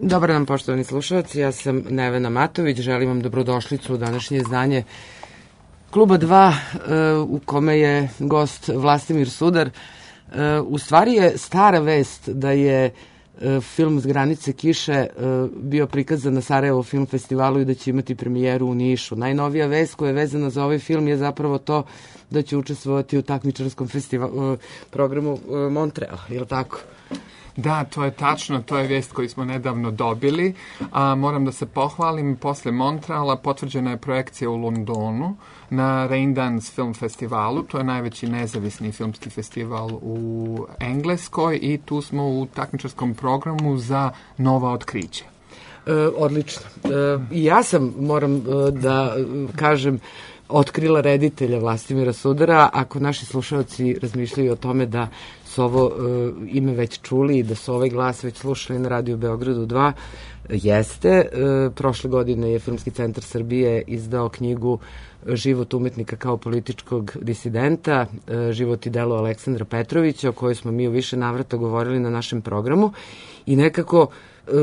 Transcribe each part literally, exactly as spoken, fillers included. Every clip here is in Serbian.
Dobar dan, poštovani slušalci, ja sam Nevena Matović, želim vam dobrodošlicu u današnje izdanje Kluba dva, u kome je gost Vlastimir Sudar. U stvari je stara vest da je film S granice kiše bio prikazan na Sarajevo film festivalu i da će imati premijeru u Nišu. Najnovija vest koja je vezana za ovaj film je zapravo to da će učestvovati u takmičarskom festivalu, programu Montreal, je li tako? Da, to je tačno, to je vijest koju smo nedavno dobili. A, moram da se pohvalim, posle Montreala potvrđena je projekcija u Londonu na Raindance Film Festivalu. To je najveći nezavisni filmski festival u Engleskoj i tu smo u takmičarskom programu za nova otkrića. E, odlično. E, ja sam, moram e, da kažem, otkrila reditelja Vlastimira Sudara. Ako naši slušalci razmišljaju o tome da su ovo uh, ime već čuli i da su ovaj glas već slušali na Radio Beogradu dva, jeste. Uh, prošle godine je Filmski centar Srbije izdao knjigu Život umetnika kao političkog disidenta, uh, život i delo Aleksandra Petrovića, o kojoj smo mi u više navrata govorili na našem programu i nekako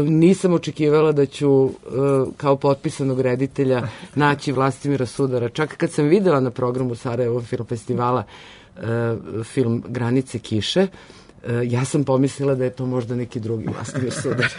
nisam očekivala da ću kao potpisanog reditelja naći Vlastimira Sudara. Čak kad sam videla na programu Sarajevo film festivala film Granice kiše, ja sam pomislila da je to možda neki drugi Vlastimir Sudar.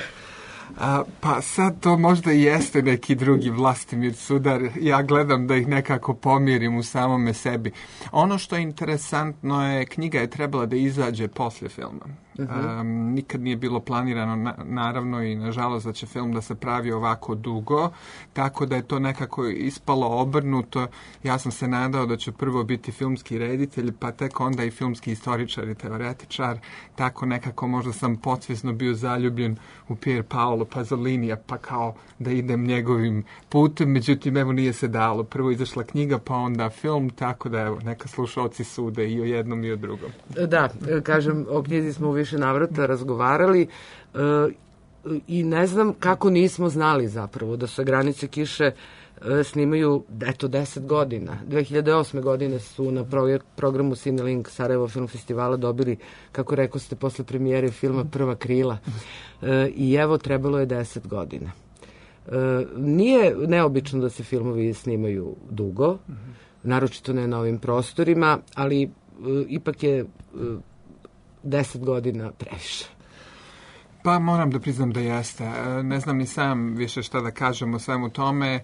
A, pa sad to možda i jeste neki drugi Vlastimir Sudar. Ja gledam da ih nekako pomirim u samome sebi. Ono što je interesantno je, knjiga je trebala da izađe posle filma. Uh-huh. Um, nikad nije bilo planirano, na, naravno i nažalost da će film da se pravi ovako dugo, tako da je to nekako ispalo obrnuto. Ja sam se nadao da ću prvo biti filmski reditelj, pa tek onda i filmski istoričar i teoretičar. Tako nekako možda sam podsvjesno bio zaljubljen u Pier Paolo Pazolinija, pa kao da idem njegovim putem. Međutim, evo nije se dalo. Prvo izašla knjiga, pa onda film, tako da evo, neka slušalci sude i o jednom i o drugom. Da, kažem, o knjizi smo u više navrata razgovarali e, i ne znam kako nismo znali zapravo da se Granice kiše e, snimaju, eto, deset godina. dve hiljade osme godine su na pro, programu Cinelink Sarajevo film festivala dobili, kako rekao ste, posle premijere filma Prva krila. E, I evo, trebalo je deset godina. E, nije neobično da se filmovi snimaju dugo, naročito ne na ovim prostorima, ali e, ipak je e, deset godina previše. Pa moram da priznam da jeste. Ne znam ni sam više šta da kažem o svemu tome.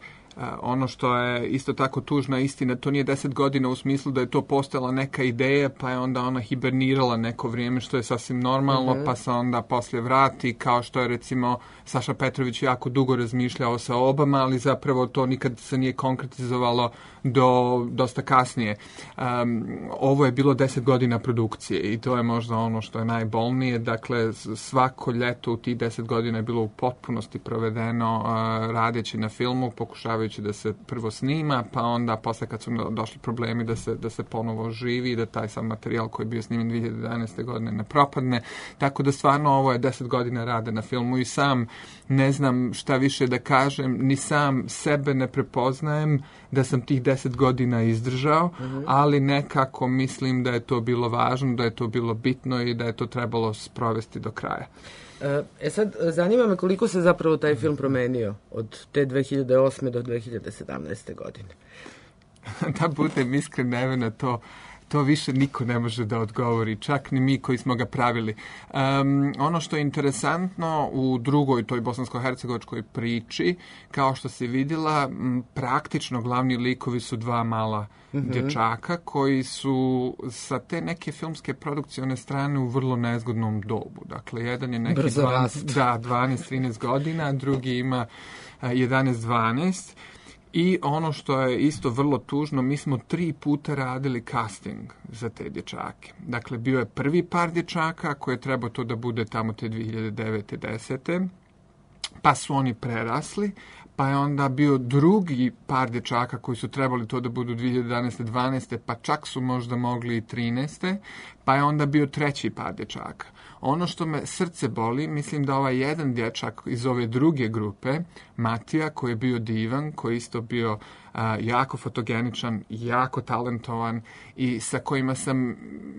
Ono što je isto tako tužna istina, to nije deset godina u smislu da je to postala neka ideja, pa je onda ona hibernirala neko vrijeme, što je sasvim normalno, uh-huh. pa se onda poslije vrati, kao što je recimo Saša Petrović jako dugo razmišljao sa Obama, ali zapravo to nikad se nije konkretizovalo do dosta kasnije. Um, ovo je bilo deset godina produkcije i to je možda ono što je najbolnije. Dakle, svako ljeto u tih deset godina je bilo u potpunosti provedeno uh, radeći na filmu, pokušavajući da se prvo snima, pa onda posle kad su došli problemi da se, da se ponovo živi i da taj sam materijal koji je bio snimen dve hiljade jedanaeste. godine ne propadne. Tako da stvarno ovo je deset godina rade na filmu i sam ne znam šta više da kažem, ni sam sebe ne prepoznajem da sam tih deset godina izdržao, uh-huh. ali nekako mislim da je to bilo važno, da je to bilo bitno i da je to trebalo sprovesti do kraja. E sad, zanima me koliko se zapravo taj film promenio od te dve hiljade osme. do dve hiljade sedamnaeste. godine. Da budem iskren, Nevena, to to više niko ne može da odgovori, čak ni mi koji smo ga pravili. Um, ono što je interesantno u drugoj toj bosansko-hercegovačkoj priči, kao što si vidjela, m, praktično glavni likovi su dva mala mm-hmm. dječaka koji su sa te neke filmske produkcione strane u vrlo nezgodnom dobu. Dakle, jedan je neki dvanaest, da, dvanaest trinaest godina, drugi ima uh, jedanaest dvanaest. I ono što je isto vrlo tužno, mi smo tri puta radili casting za te dječake. Dakle, bio je prvi par dječaka koji je trebao to da bude tamo te dve hiljade devete. desete. Pa su oni prerasli, pa je onda bio drugi par dječaka koji su trebali to da budu dve hiljade jedanaeste. dvanaeste. pa čak su možda mogli i trinaeste. Pa je onda bio treći par dječaka. Ono što me srce boli, mislim da ovaj jedan dječak iz ove druge grupe, Matija, koji je bio divan, koji je isto bio a, jako fotogeničan, jako talentovan i sa kojima sam,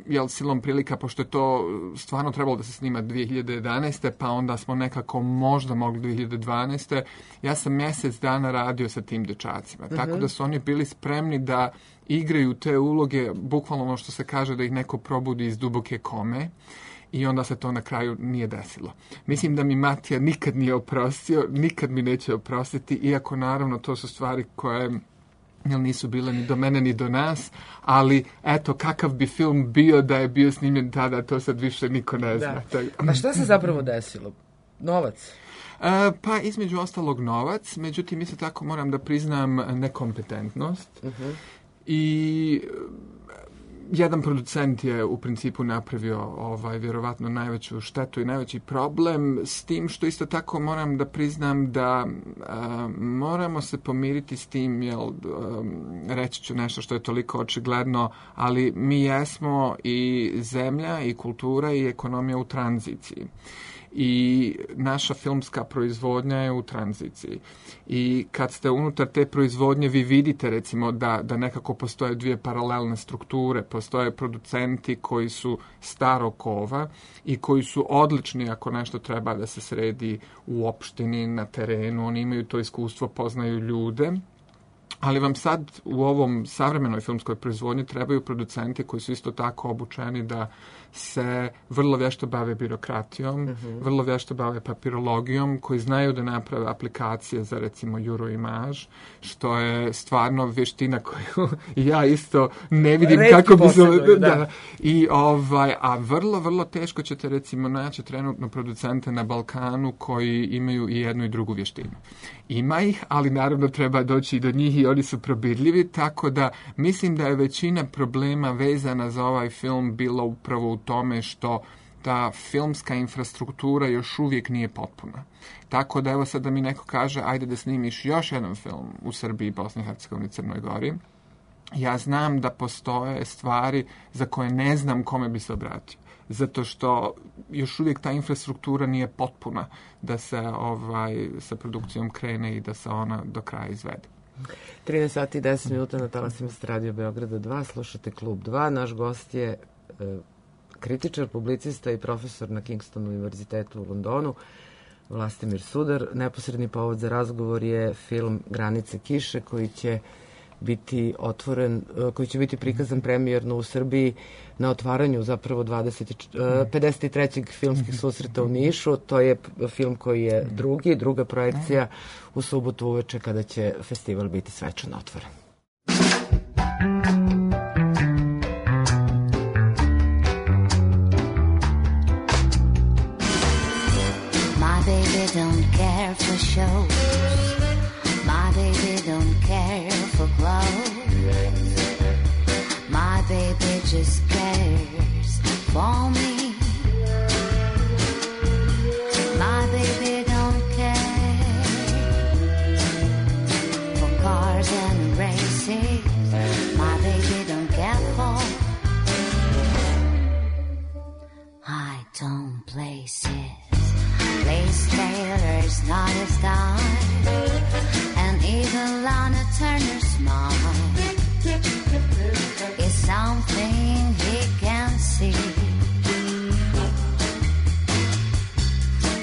jel, silom prilika, pošto je to stvarno trebalo da se snima dvije hiljade jedanaeste. pa onda smo nekako možda mogli dvije hiljade dvanaeste. Ja sam mjesec dana radio sa tim dječacima, uh-huh. tako da su oni bili spremni da igraju te uloge, bukvalno ono što se kaže da ih neko probudi iz duboke kome. I onda se to na kraju nije desilo. Mislim da mi Matija nikad nije oprostio, nikad mi neće oprostiti, iako naravno to su stvari koje jel, nisu bile ni do mene ni do nas, ali eto kakav bi film bio da je bio snimljen tada, to sad više niko ne zna. Da. A šta se zapravo desilo? Novac? Uh, pa između ostalog novac, međutim isto tako moram da priznam nekompetentnost. Uh-huh. I jedan producent je u principu napravio ovaj vjerovatno najveću štetu i najveći problem, s tim što isto tako moram da priznam da a, moramo se pomiriti s tim, jel, a, reći ću nešto što je toliko očigledno, ali mi jesmo i zemlja i kultura i ekonomija u tranziciji. I naša filmska proizvodnja je u tranziciji. I kad ste unutar te proizvodnje vi vidite recimo da, da nekako postoje dvije paralelne strukture, postoje producenti koji su starog kova i koji su odlični ako nešto treba da se sredi u opštini, na terenu, oni imaju to iskustvo, poznaju ljude. Ali vam sad u ovom savremenoj filmskoj proizvodnji trebaju producenti koji su isto tako obučeni da se vrlo vješto bave birokratijom, uh-huh. vrlo vješto bave papirologijom, koji znaju da naprave aplikacije za recimo Euroimage, što je stvarno vještina koju ja isto ne vidim Redki kako bi se... Da. Da. I ovaj, a vrlo, vrlo teško ćete recimo naći trenutno producente na Balkanu koji imaju i jednu i drugu vještinu. Ima ih, ali naravno treba doći i do njih i oni su probirljivi, tako da mislim da je većina problema vezana za ovaj film bila upravo u tome što ta filmska infrastruktura još uvijek nije potpuna. Tako da evo sad da mi neko kaže ajde da snimiš još jedan film u Srbiji, Bosni i Hercegovini, Crnoj Gori. Ja znam da postoje stvari za koje ne znam kome bi se obratio. Zato što još uvijek ta infrastruktura nije potpuna da se ovaj, sa produkcijom krene i da se ona do kraja izvede. trinaest sati i deset minuta na talasima Radio Beograda dva, slušate Klub dva. Naš gost je e, kritičar, publicista i profesor na Kingstonu univerzitetu u Londonu, Vlastimir Sudar. Neposredni povod za razgovor je film Granice kiše koji će biti otvoren, koji će biti prikazan premijerno u Srbiji na otvaranju zapravo dvadeset, pedeset trećeg filmskih susreta u Nišu. To je film koji je drugi, druga projekcija u subotu uveče kada će festival biti svečano otvoren. My baby don't care for shows. My baby don't care for clothes. My baby just cares for me. My baby don't care for cars and races. My baby don't care for high tone places. Lace Taylor's not his style, and even Lana Turner's smile is something he can't see.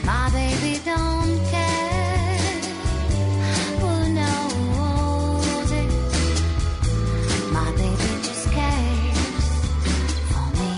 My baby don't care who knows it. My baby just cares for me.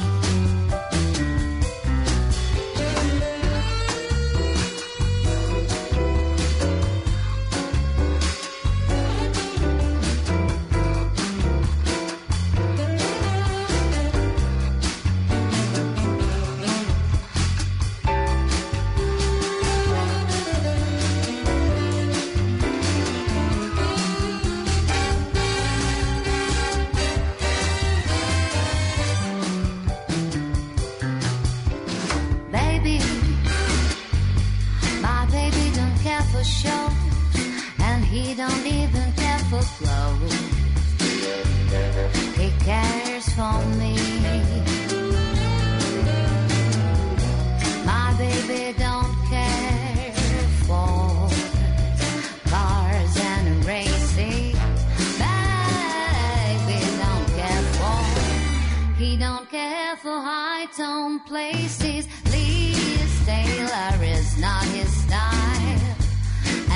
for high-tone places. Liz Taylor is not his style,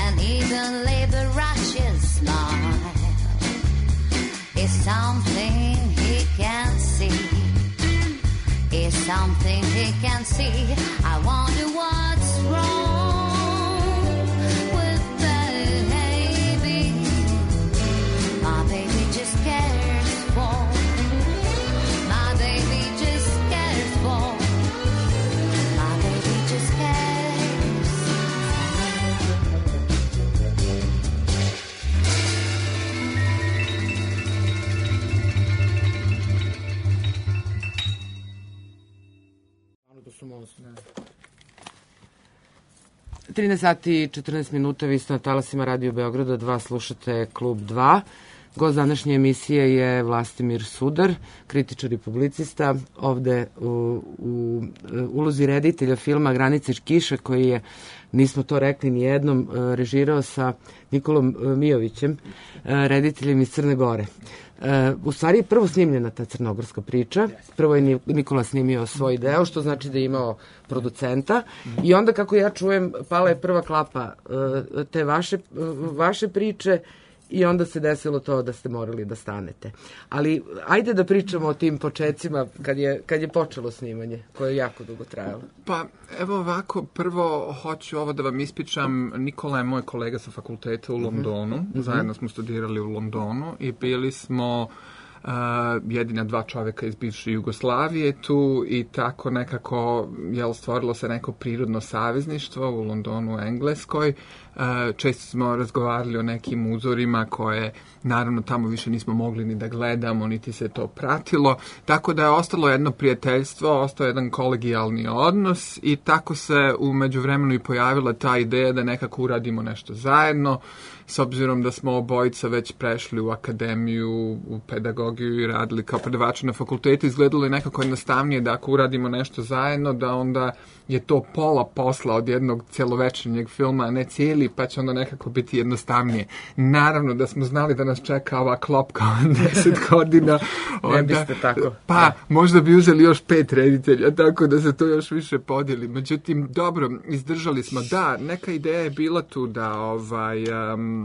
and even Liberace's smile is something he can't see. Is something he can't see. I wonder what's wrong with baby. My baby just cares for. My baby just cares for. My baby just cares. trinaest sati i četrnaest minuta, vi ste na talasima Radio Beograda dva, slušate Klub dva. Gost današnje emisije je Vlastimir Sudar, kritičar i publicista, ovde u, u ulozi reditelja filma Granice kiša, koji je, nismo to rekli ni jednom, režirao sa Nikolom Mijovićem, rediteljem iz Crne Gore. U stvari je prvo snimljena ta crnogorska priča. Prvo je Nikola snimio svoj deo, što znači da je imao producenta. I onda, kako ja čujem, pala je prva klapa te vaše, vaše priče i onda se desilo to da ste morali da stanete. Ali ajde da pričamo o tim počecima kad je, kad je počelo snimanje, koje je jako dugo trajalo. Pa evo ovako, prvo hoću ovo da vam ispričam. Nikola je moj kolega sa fakulteta u Londonu. Mm-hmm. Zajedno smo studirali u Londonu i bili smo Uh, jedina dva čoveka iz bivše Jugoslavije tu i tako nekako jel, stvorilo se neko prirodno savezništvo u Londonu, u Engleskoj. Uh, često smo razgovarali o nekim uzorima koje naravno tamo više nismo mogli ni da gledamo, niti se to pratilo. Tako da je ostalo jedno prijateljstvo, ostao jedan kolegijalni odnos i tako se u međuvremenu i pojavila ta ideja da nekako uradimo nešto zajedno. S obzirom da smo obojica već prešli u akademiju, u pedagogiju i radili kao predavači na fakultetu, izgledalo je nekako jednostavnije da ako uradimo nešto zajedno, da onda je to pola posla od jednog celovečernjeg filma, a ne cijeli, pa će onda nekako biti jednostavnije. Naravno da smo znali da nas čeka ova klopka od deset godina. Onda, ne biste tako. Pa, da. Možda bi uzeli još pet reditelja, tako da se to još više podijeli. Međutim, dobro, izdržali smo. Da, neka ideja je bila tu da ovaj... Um,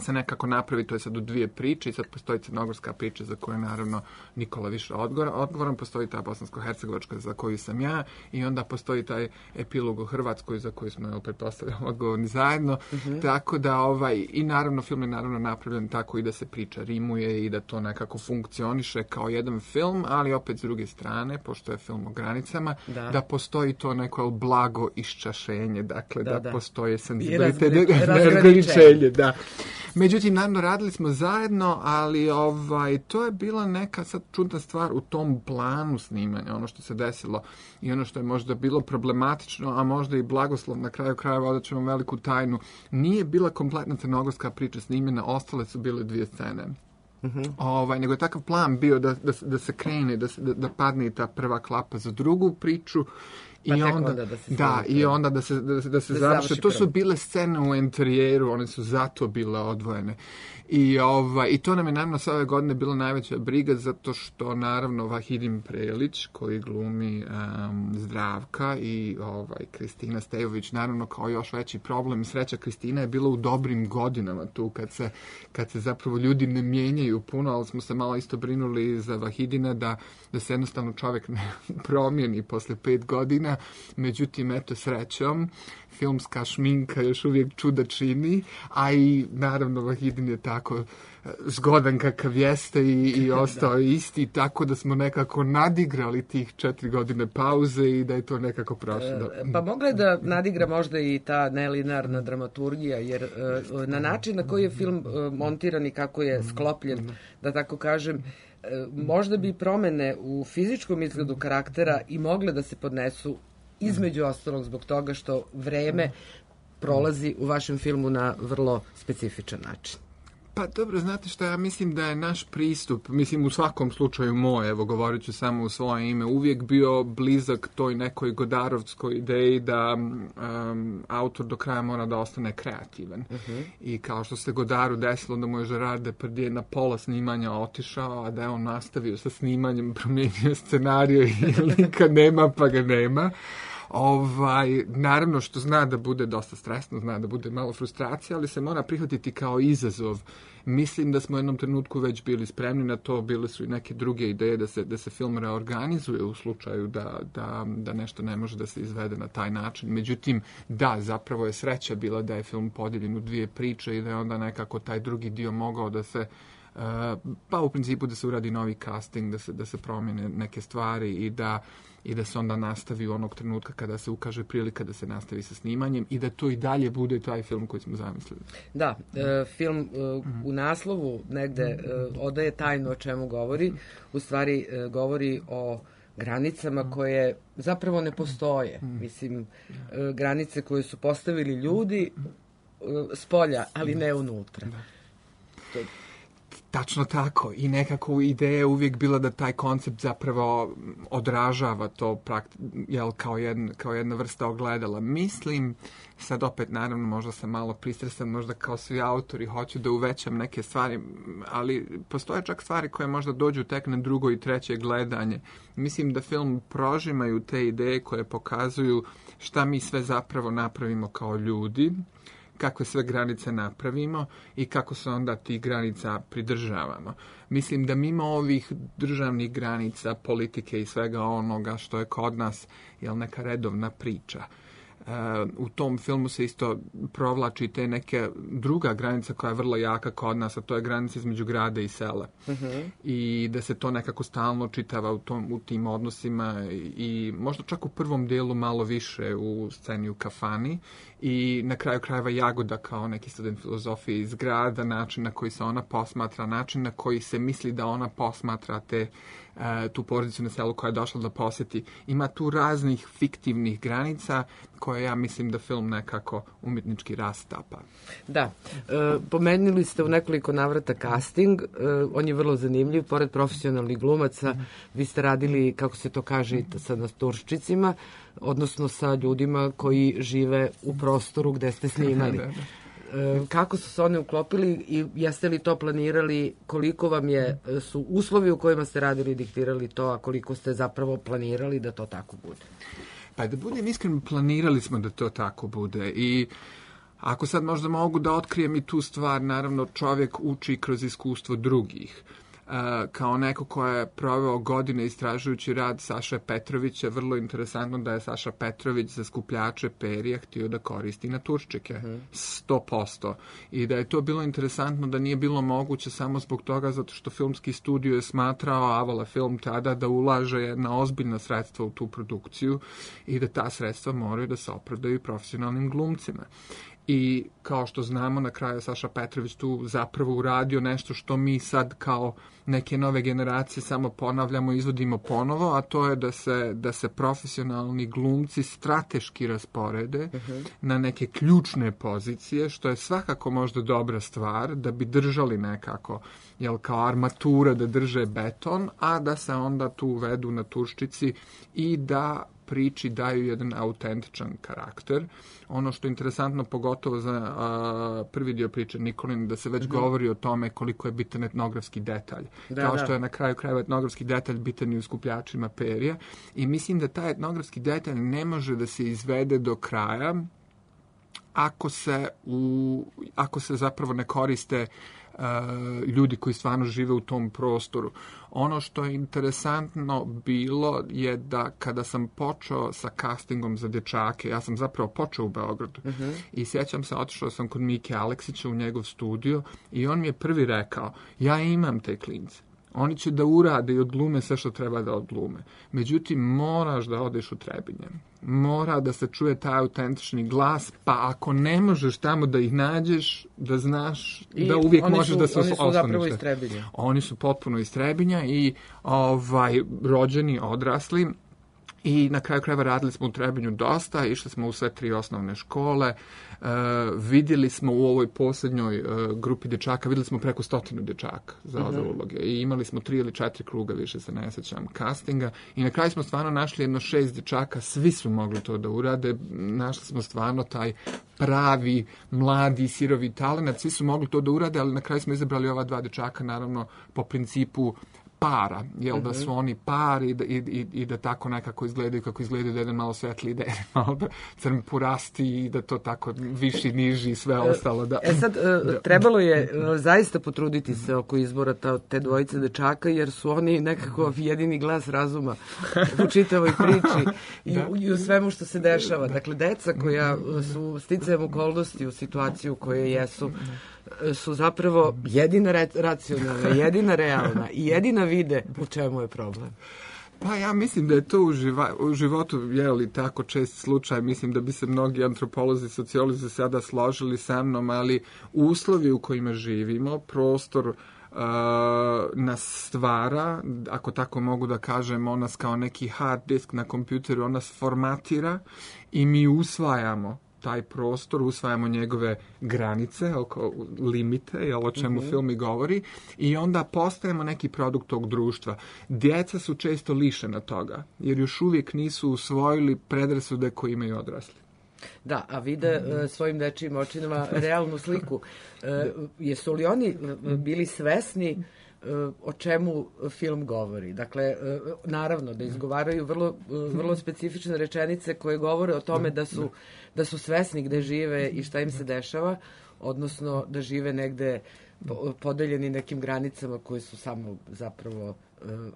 se nekako napravi, to je sad u dvije priče i sad postoji crnogorska priča za koju je naravno Nikola više odgovoran, odgovoran, postoji ta bosansko-hercegovačka za koju sam ja i onda postoji taj epilog u Hrvatskoj za koju smo, pretpostavljamo, odgovorni zajedno. Mm-hmm. Tako da, ovaj, i naravno film je naravno napravljen tako i da se priča rimuje i da to nekako funkcioniše kao jedan film, ali opet s druge strane, pošto je film o granicama, da, da postoji to neko blago iščašenje, dakle da, da, da. Postoje senzibilitet, razgraničenje, da. Međutim, naravno, radili smo zajedno, ali ovaj, to je bila neka sad čudna stvar u tom planu snimanja, ono što se desilo i ono što je možda bilo problematično, a možda i blagoslov na kraju krajeva, odat ćemo veliku tajnu. Nije bila kompletna crnogorska priča snimljena, ostale su bile dvije scene. Mm-hmm. Ovaj, nego je takav plan bio da, da, da se krene, da, da, da padne i ta prva klapa za drugu priču. I pa onda, onda da se da, i onda da se, da se, da se da završe. To su bile scene u interijeru, one su zato bile odvojene. I, ovaj, I to nam je naravno sve ove godine bila najveća briga, zato što naravno Vahidin Prelić, koji glumi um, Zdravka, i ovaj, Kristina Stejović, naravno kao još veći problem. Sreća, Kristina je bila u dobrim godinama tu, kad se, kad se zapravo ljudi ne mijenjaju puno, ali smo se malo isto brinuli za Vahidina da, da se jednostavno čovjek ne promijeni posle pet godina. Međutim, eto, srećom, filmska šminka još uvijek čuda čini, a i naravno Vahidin je tako zgodan kakav jeste i, i ostao da. isti, tako da smo nekako nadigrali tih četiri godine pauze i da je to nekako prošlo. E, pa mogla je da nadigra možda i ta nelinarna dramaturgija, jer e, na način na koji je film e, montiran i kako je sklopljen, da tako kažem, e, možda bi promene u fizičkom izgledu karaktera i mogle da se podnesu između ostalog zbog toga što vreme prolazi u vašem filmu na vrlo specifičan način. Pa dobro, znate šta, ja mislim da je naš pristup, mislim u svakom slučaju moj, evo govorit ću samo u svoje ime, uvijek bio blizak toj nekoj godarovskoj ideji da um, autor do kraja mora da ostane kreativan. Uh-huh. I kao što se Godaru desilo da mu je Gerard Depardieu na pola snimanja otišao, a da je on nastavio sa snimanjem, promijenio scenariju i lika nema pa ga nema. Ovaj, naravno što zna da bude dosta stresno, zna da bude malo frustracija, ali se mora prihvatiti kao izazov. Mislim da smo u jednom trenutku već bili spremni na to, bile su i neke druge ideje da se, da se film reorganizuje u slučaju da, da, da nešto ne može da se izvede na taj način. Međutim, da, zapravo je sreća bila da je film podijeljen u dvije priče i da je onda nekako taj drugi dio mogao da se Uh, pa u principu da se uradi novi casting, da se, da se promijene neke stvari i da, i da se onda nastavi u onog trenutka kada se ukaže prilika da se nastavi sa snimanjem i da to i dalje bude taj film koji smo zamislili. Da, e, film e, u naslovu negde e, odaje tajnu o čemu govori, u stvari e, govori o granicama koje zapravo ne postoje. Mislim, e, granice koje su postavili ljudi e, s polja, ali ne unutra. To Tačno tako. I nekako ideja je uvijek bila da taj koncept zapravo odražava to prakti, jel, kao, jedna, kao jedna vrsta ogledala. Mislim, sad opet naravno možda sam malo pristresan, možda kao svi autori hoću da uvećam neke stvari, ali postoje čak stvari koje možda dođu tek na drugo i treće gledanje. Mislim da film prožimaju te ideje koje pokazuju šta mi sve zapravo napravimo kao ljudi, kakve sve granice napravimo i kako se onda tih granica pridržavamo. Mislim da mimo ovih državnih granica, politike i svega onoga što je kod nas, jel, neka redovna priča. Uh, u tom filmu se isto provlači te neke druga granica koja je vrlo jaka kod nas, a to je granica između grada i sela. Uh-huh. I da se to nekako stalno čitava u, tom, u tim odnosima i možda čak u prvom dijelu malo više u sceni u kafani i na kraju krajeva Jagoda kao neki student filozofije iz grada, način na koji se ona posmatra, način na koji se misli da ona posmatra te tu porodicu na selu koja je došla da posjeti. Ima tu raznih fiktivnih granica koje ja mislim da film nekako umjetnički rastapa. Da, e, pomenuli ste u nekoliko navrata casting, e, on je vrlo zanimljiv, pored profesionalnih glumaca, vi ste radili, kako se to kaže, sa naturščicima, odnosno sa ljudima koji žive u prostoru gde ste snimali. Kako su se oni uklopili i jeste li to planirali, koliko vam je, su uslovi u kojima ste radili diktirali to, a koliko ste zapravo planirali da to tako bude? Pa da budem iskren, planirali smo da to tako bude i ako sad možda mogu da otkrijem i tu stvar, naravno čovjek uči kroz iskustvo drugih. Uh, kao neko ko je proveo godine istražujući rad Saše Petrovića, vrlo interesantno da je Saša Petrović za skupljače perija htio da koristi naturščike, sto posto. I da je to bilo interesantno da nije bilo moguće samo zbog toga zato što filmski studio je smatrao, Avala Film tada, da ulaže jedna ozbiljna sredstva u tu produkciju i da ta sredstva moraju da se opravdaju profesionalnim glumcima. I kao što znamo, na kraju Saša Petrović tu zapravo uradio nešto što mi sad kao neke nove generacije samo ponavljamo i izvodimo ponovo, a to je da se, da se profesionalni glumci strateški rasporede uh-huh. na neke ključne pozicije, što je svakako možda dobra stvar, da bi držali nekako, jel, kao armatura da drže beton, a da se onda tu uvedu naturščici i da priči daju jedan autentičan karakter. Ono što je interesantno, pogotovo za a, prvi dio priče Nikolin, da se već mm-hmm. govori o tome koliko je bitan etnografski detalj. Da, Kao da. što je na kraju krajeva etnografski detalj bitan i u skupljačima perja. I mislim da taj etnografski detalj ne može da se izvede do kraja ako se, u, ako se zapravo ne koriste Uh, ljudi koji stvarno žive u tom prostoru. Ono što je interesantno bilo je da kada sam počeo sa castingom za dječake, ja sam zapravo počeo u Beogradu uh-huh. i sjećam se, otišao sam kod Mike Aleksića u njegov studio i on mi je prvi rekao, ja imam te klince. Oni će da urade i odglume sve što treba da odglume. Međutim, moraš da odeš u Trebinje. Mora da se čuje taj autentični glas, pa ako ne možeš tamo da ih nađeš, da znaš I da uvijek možeš su, da se oni ostaneš. Oni su zapravo iz Trebinja. Oni su potpuno iz Trebinja i ovaj, rođeni, odrasli. I na kraju krajeva radili smo u Trebinju dosta, išli smo u sve tri osnovne škole, e, vidjeli smo u ovoj posljednjoj e, grupi dječaka, vidjeli smo preko stotinu dječaka za ove mm-hmm. uloge i imali smo tri ili četiri kruga, više se ne sjećam, castinga i na kraju smo stvarno našli jedno šest dječaka, svi su mogli to da urade, našli smo stvarno taj pravi, mladi, sirovi talent, svi su mogli to da urade, ali na kraju smo izabrali ova dva dječaka, naravno po principu para, jel mm-hmm. da su oni par i da, i, i, i da tako nekako izgledaju kako izgledaju, da jedan malo svetliji, da jedan malo da crn purasti i da to tako viši, niži i sve ostalo. Da. E sad, da. trebalo je zaista potruditi se oko izbora ta, te dvojice dečaka, jer su oni nekako jedini glas razuma u čitavoj priči i, da. i u svemu što se dešava. Dakle, deca koja su sticajem okolnosti u situaciju koje jesu, su zapravo jedina re, racionalna, jedina realna i jedina vide u čemu je problem. Pa ja mislim da je to u, živa, u životu je li tako čest slučaj, mislim da bi se mnogi antropolozi, sociolozi sada složili sa mnom, ali uslovi u kojima živimo, prostor uh, nas stvara, ako tako mogu da kažem, on nas kao neki hard disk na kompjuteru, on nas formatira i mi usvajamo taj prostor, usvajamo njegove granice, oko limite, jel, o čemu mm-hmm. film i govori, i onda postajemo neki produkt tog društva. Djeca su često lišena toga, jer još uvijek nisu usvojili predrasude koje imaju odrasli. Da, a vide mm-hmm. uh, svojim dečijim očinama realnu sliku. Uh, jesu li oni bili svesni o čemu film govori? Dakle, naravno da izgovaraju vrlo, vrlo specifične rečenice koje govore o tome da su, da su svesni gde žive i šta im se dešava, odnosno da žive negde podeljeni nekim granicama koje su samo zapravo,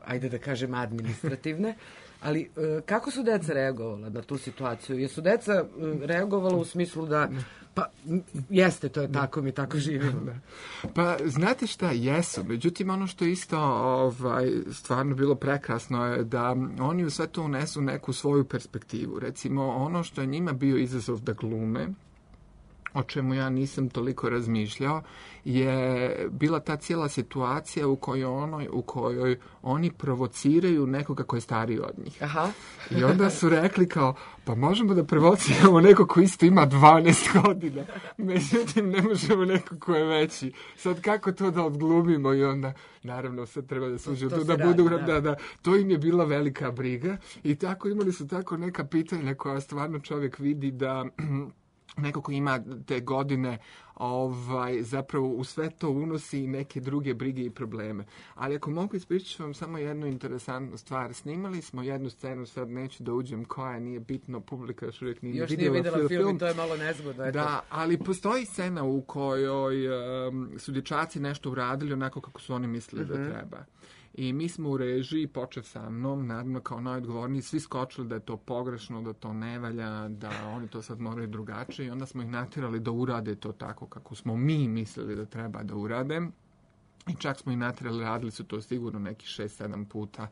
ajde da kažem, administrativne. Ali kako su deca reagovala na tu situaciju? Jesu deca reagovala u smislu da pa jeste, to je tako, mi tako živimo. Pa znate šta, jesu. Međutim, ono što je isto ovaj, stvarno bilo prekrasno je da oni u sve to unesu neku svoju perspektivu. Recimo, ono što je njima bio izazov da glume, o čemu ja nisam toliko razmišljao, je bila ta cijela situacija u kojoj, ono, u kojoj oni provociraju nekoga ko je stariji od njih. Aha. I onda su rekli kao, pa možemo da provociramo neko ko isto ima dvanaest godina, međutim ne možemo neko ko je veći. Sad kako to da odglumimo? I onda, naravno, sad treba da služi to, to da budu, radi, da. Da, da, to im je bila velika briga i tako imali su tako neka pitanja koja stvarno čovjek vidi da neko ko ima te godine ovaj, zapravo u sve to unosi neke druge brige i probleme. Ali ako mogu ispričati vam samo jednu interesantnu stvar. Snimali smo jednu scenu, sad neću da uđem koja, nije bitno, publika još uvijek nije još vidjela, nije vidjela film, film i to je malo nezgodno. Eto. Da, ali postoji scena u kojoj um, su dječaci nešto uradili onako kako su oni mislili mm-hmm. da treba. I mi smo u režiji, počev sa mnom, naravno kao najodgovorniji, svi skočili da je to pogrešno, da to ne valja, da oni to sad moraju drugačije i onda smo ih natjerali da urade to tako kako smo mi mislili da treba da urade. I čak smo ih natjerali, radili su to sigurno neki šest sedam puta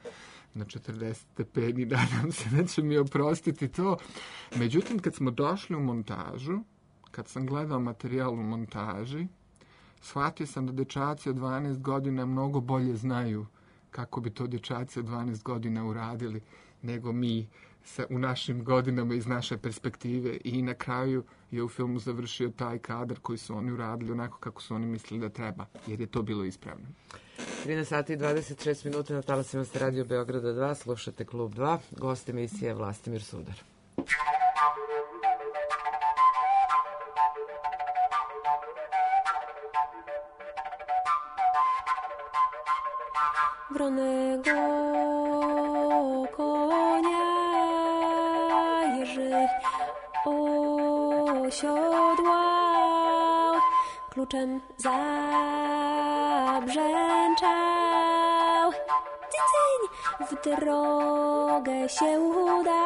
na četrdeset stepeni, nadam se da će mi oprostiti to. Međutim, kad smo došli u montažu, kad sam gledao materijal u montaži, shvatio sam da dječaci od dvanaest godina mnogo bolje znaju kako bi to dječaci od dvanaest godina uradili nego mi sa, u našim godinama iz naše perspektive i na kraju je u filmu završio taj kadar koji su oni uradili onako kako su oni mislili da treba, jer je to bilo ispravno. trinaest sati i dvadeset šest minuta na talasima ste Radio Beograda dva, slušate Klub dva, gost emisije Vlastimir Sudar. Wronego konia Jerzy osiodłał, kluczem zabrzęczał. Cycyń, w drogę się udał.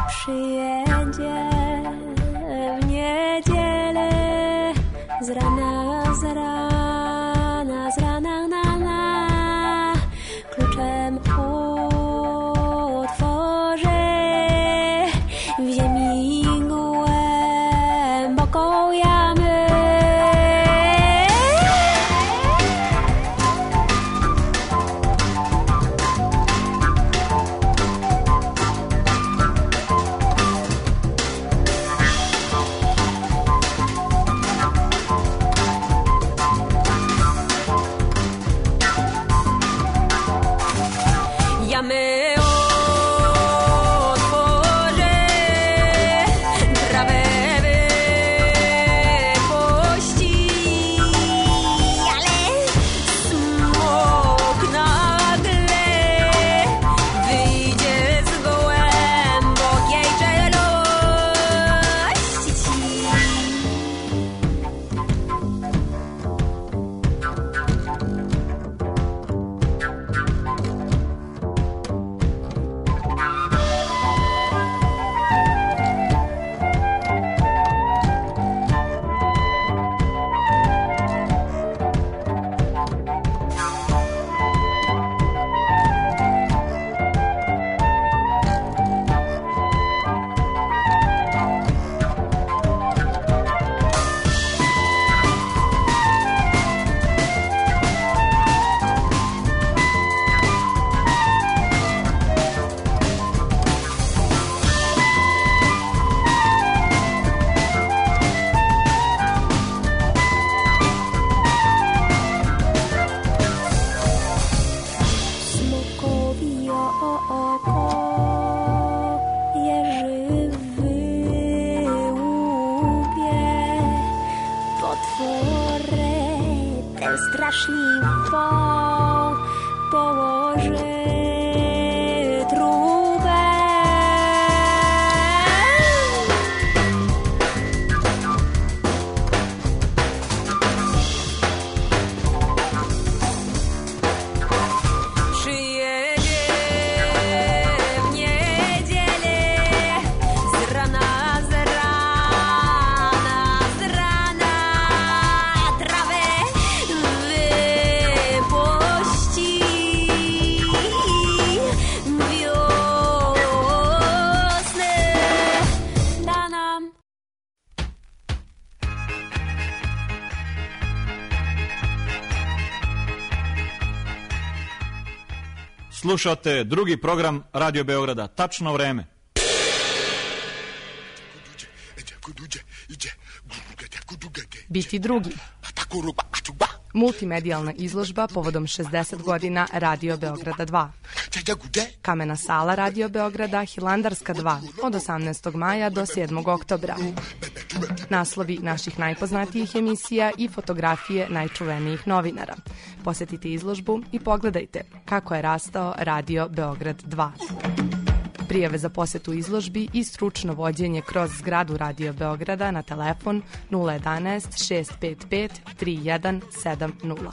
Przyjedzie w niedzielę z rana, z rana. slušate drugi program Radio Beograda. Tačno vreme. Biti drugi. Multimedijalna izložba povodom šezdeset godina Radio Beograda dva. Kamena sala Radio Beograda Hilandarska dva od osamnaestog maja do sedmog oktobra. Naslovi naših najpoznatijih emisija i fotografije najčuvenijih novinara. Posetite izložbu i pogledajte kako je rastao Radio Beograd dva. Prijave za posetu izložbi i stručno vođenje kroz zgradu Radio Beograda na telefon nula jedanaest šest pet pet tri jedan sedam nula.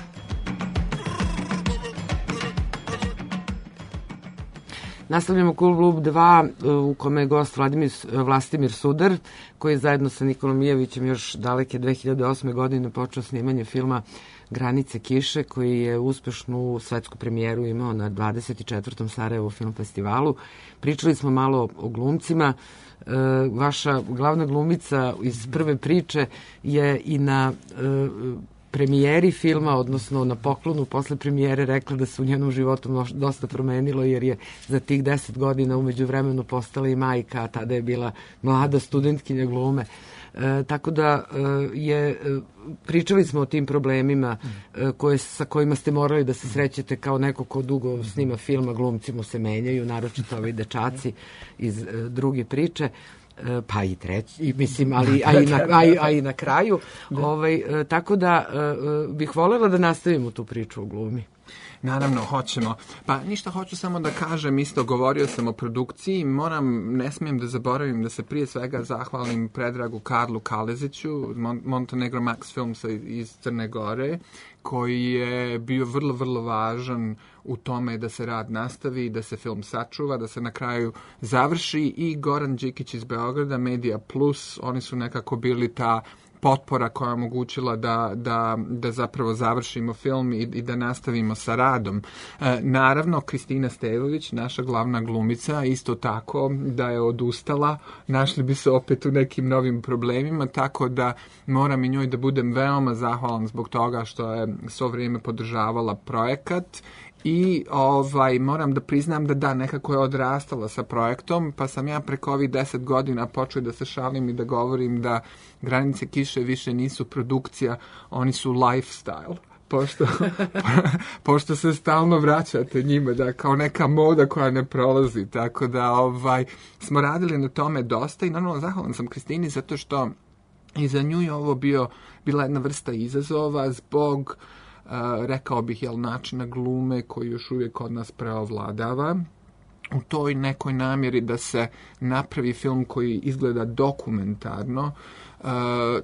Nastavljamo Klub dva u kome je gost Vladimir, Vlastimir Sudar, koji je zajedno sa Nikolom Mijevićem još daleke dve hiljade osme. godine počeo snimanje filma Granice kiše, koji je uspešnu svetsku premijeru imao na dvadeset četvrtom Sarajevo film festivalu. Pričali smo malo o glumcima. E, vaša glavna glumica iz prve priče je i na e, premijeri filma, odnosno na poklonu posle premijere rekla da se u njenom životu dosta promenilo, jer je za tih deset godina umeđu vremenu postala i majka, a tada je bila mlada studentkinja glume. E, tako da e, je, e, pričali smo o tim problemima e, koje, sa kojima ste morali da se srećete kao neko ko dugo snima filma, glumci mu se menjaju, naročito ovi dečaci iz e, druge priče, e, pa i treći, i, mislim, ali, a, i na, a, i, a i na kraju. Ovaj, e, tako da e, bih voljela da nastavimo tu priču o glumi. Naravno, hoćemo. Pa ništa, hoću samo da kažem, isto govorio sam o produkciji, moram, ne smijem da zaboravim da se prije svega zahvalim Predragu Karlu Kaleziću, Mon- Montenegro Max Filmsa iz Crne Gore, koji je bio vrlo, vrlo važan u tome da se rad nastavi, da se film sačuva, da se na kraju završi, i Goran Đikić iz Beograda, Media Plus, oni su nekako bili ta potpora koja je omogućila da, da, da zapravo završimo film i, i da nastavimo sa radom. E, naravno, Kristina Stevović, naša glavna glumica, isto tako da je odustala, našli bi se opet u nekim novim problemima, tako da moram i njoj da budem veoma zahvalan zbog toga što je svo vrijeme podržavala projekat. I ovaj, moram da priznam da da, nekako je odrastala sa projektom, pa sam ja preko ovih deset godina počeo da se šalim i da govorim da Granice kiše više nisu produkcija, oni su lifestyle. Pošto, pošto se stalno vraćate njima, da, kao neka moda koja ne prolazi, tako da ovaj, smo radili na tome dosta i naravno zahvalan sam Kristini zato što i za nju je ovo bio, bila jedna vrsta izazova zbog Uh, rekao bih, jel, načina glume koji još uvijek kod nas preovladava. U toj nekoj namjeri da se napravi film koji izgleda dokumentarno, uh,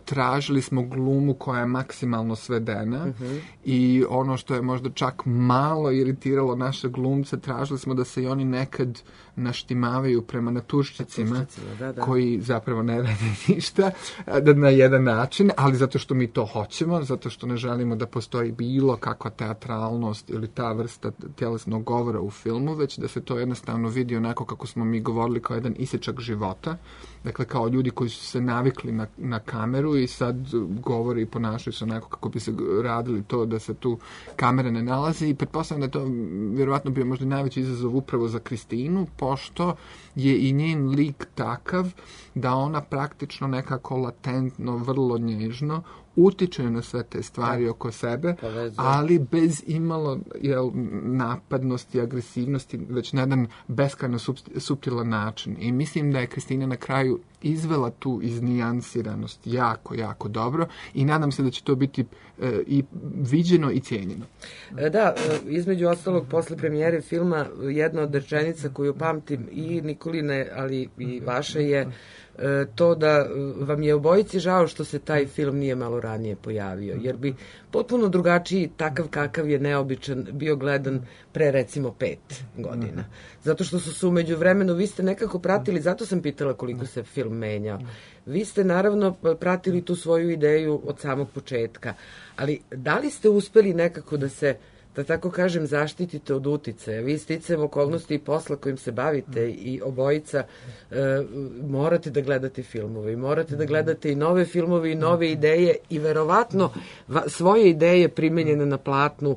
tražili smo glumu koja je maksimalno svedena, uh-huh. i ono što je možda čak malo iritiralo naše glumce, tražili smo da se i oni nekad naštimavaju prema naturščicima, da, da. koji zapravo ne rade ništa, da na jedan način, ali zato što mi to hoćemo, zato što ne želimo da postoji bilo kakva teatralnost ili ta vrsta tjelesnog govora u filmu, već da se to jednostavno vidi onako kako smo mi govorili, kao jedan isječak života. Dakle, kao ljudi koji su se navikli na, na kameru i sad govore i ponašaju se onako kako bi se radili to da se tu kamera ne nalazi, i pretpostavljam da je to vjerovatno bio možda najveći izazov upravo za Kristinu, pošto je i njen lik takav da ona praktično nekako latentno, vrlo nježno utiče na sve te stvari oko sebe, ali bez imalo, jel, napadnosti, agresivnosti, već na jedan beskrajno suptilan način. I mislim da je Kristina na kraju izvela tu iznijansiranost jako, jako dobro, i nadam se da će to biti e, i viđeno i cijenjeno. Da, između ostalog, posle premijere filma, jedna od rečenica koju pamtim i Nikoline, ali i vaše, je to da vam je obojici žao što se taj film nije malo ranije pojavio, jer bi potpuno drugačiji, takav kakav je neobičan, bio gledan pre recimo pet godina. Zato što su se umeđu vremenu, vi ste nekako pratili, zato sam pitala koliko se film menjao. Vi ste naravno pratili tu svoju ideju od samog početka, ali da li ste uspeli nekako da se, da tako kažem, zaštitite od uticaja? Vi sticajem okolnosti i posla kojim se bavite i obojica e, morate da gledate filmove i morate da gledate i nove filmove i nove ideje i verovatno va, svoje ideje primenjene na platnu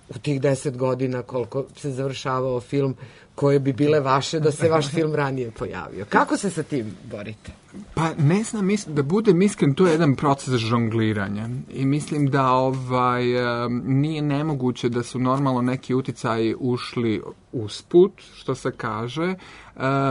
u tih deset godina koliko se završavao film, koje bi bile vaše da se vaš film ranije pojavio. Kako se sa tim borite? Pa ne znam, da budem iskren, to je jedan proces žongliranja i mislim da ovaj, nije nemoguće da su normalno neki uticaji ušli usput, što se kaže.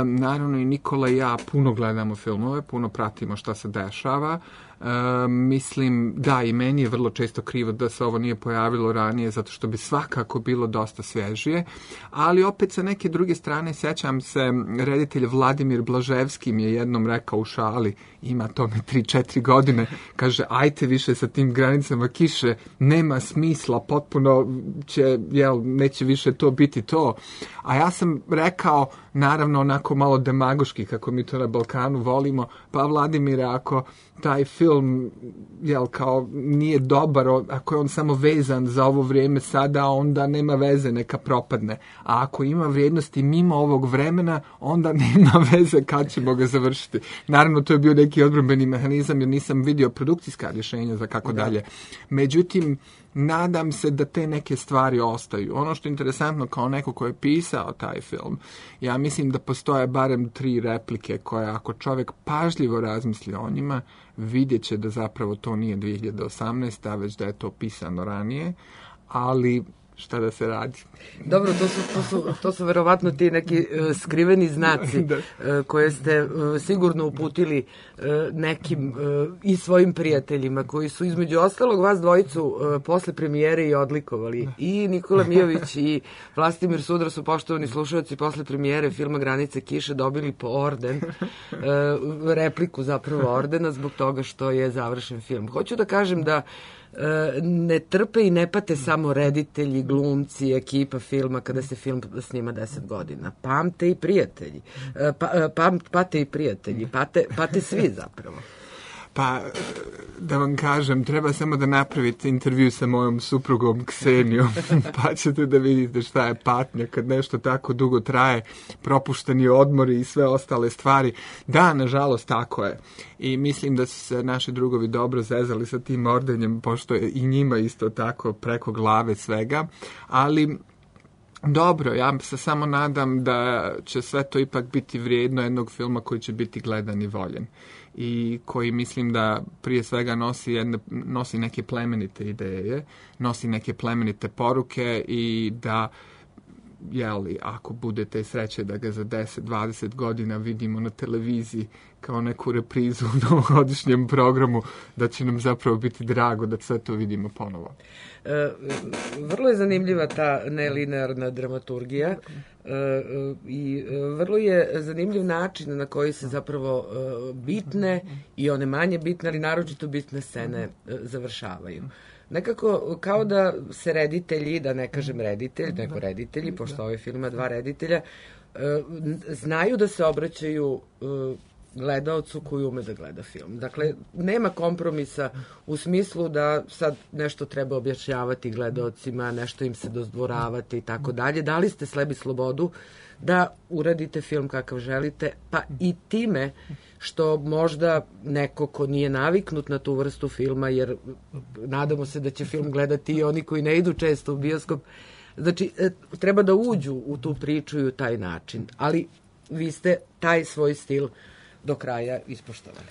Naravno i Nikola i ja puno gledamo filmove, puno pratimo šta se dešava. Uh, mislim, da, i meni je vrlo često krivo da se ovo nije pojavilo ranije, zato što bi svakako bilo dosta svježije, ali opet sa neke druge strane sećam se, reditelj Vladimir Blaževski mi je jednom rekao u šali, ima tome tri četiri godine, kaže, ajte više sa tim granicama kiše, nema smisla, potpuno će, jel, neće više to biti to. A ja sam rekao, naravno onako malo demagoški, kako mi to na Balkanu volimo, pa Vladimire, ako taj film, jel, kao nije dobar, ako je on samo vezan za ovo vrijeme sada, onda nema veze, neka propadne. A ako ima vrijednosti mimo ovog vremena, onda nema veze kad ćemo ga završiti. Naravno, to je bio neki odbrambeni mehanizam, jer nisam vidio produkcijska rješenja za kako dalje. Međutim, nadam se da te neke stvari ostaju. Ono što je interesantno kao neko ko je pisao taj film, ja mislim da postoje barem tri replike koje ako čovjek pažljivo razmisli o njima, vidjet će da zapravo to nije dvije hiljade osamnaesta. već da je to pisano ranije, ali šta da se radi. Dobro, to su, to su, to su verovatno ti neki uh, skriveni znaci uh, koje ste uh, sigurno uputili uh, nekim uh, i svojim prijateljima koji su između ostalog vas dvojicu uh, posle premijere i odlikovali. I Nikola Mijović i Vlastimir Sudra su, poštovani slušalci, posle premijere filma Granice kiše dobili po orden, uh, repliku zapravo ordena zbog toga što je završen film. Hoću da kažem da ne trpe i ne pate samo reditelji, glumci, ekipa filma kada se film snima deset godina. Pamte i prijatelji. Pa, pam, pate i prijatelji. Pate, pate svi zapravo. Pa, da vam kažem, treba samo da napravite intervju sa mojom suprugom Ksenijom, pa ćete da vidite šta je patnja kad nešto tako dugo traje, propušteni odmori i sve ostale stvari. Da, nažalost, tako je. I mislim da su se naši drugovi dobro zezali sa tim ordenjem, pošto je i njima isto tako preko glave svega, ali dobro, ja se samo nadam da će sve to ipak biti vrijedno jednog filma koji će biti gledan i voljen i koji mislim da prije svega nosi, jedne, nosi neke plemenite ideje, nosi neke plemenite poruke i da, jeli, ako budete sreće da ga za deset dvadeset godina vidimo na televiziji kao neku reprizu u novogodišnjem programu, da će nam zapravo biti drago da sve to vidimo ponovo. E, vrlo je zanimljiva ta nelinearna dramaturgija e, i vrlo je zanimljiv način na koji se zapravo e, bitne i one manje bitne, ali naročito bitne scene e, završavaju. Nekako kao da se reditelji, da ne kažem reditelj, nego reditelji, pošto ovaj film ima dva reditelja, e, znaju da se obraćaju e, gledaocu koji ume da gleda film. Dakle, nema kompromisa u smislu da sad nešto treba objašnjavati gledaocima, nešto im se dodvoravati i tako dalje. Dali ste sebi slobodu da uradite film kakav želite, pa i time što možda neko ko nije naviknut na tu vrstu filma, jer nadamo se da će film gledati i oni koji ne idu često u bioskop, znači treba da uđu u tu priču i u taj način. Ali vi ste taj svoj stil do kraja ispoštovali.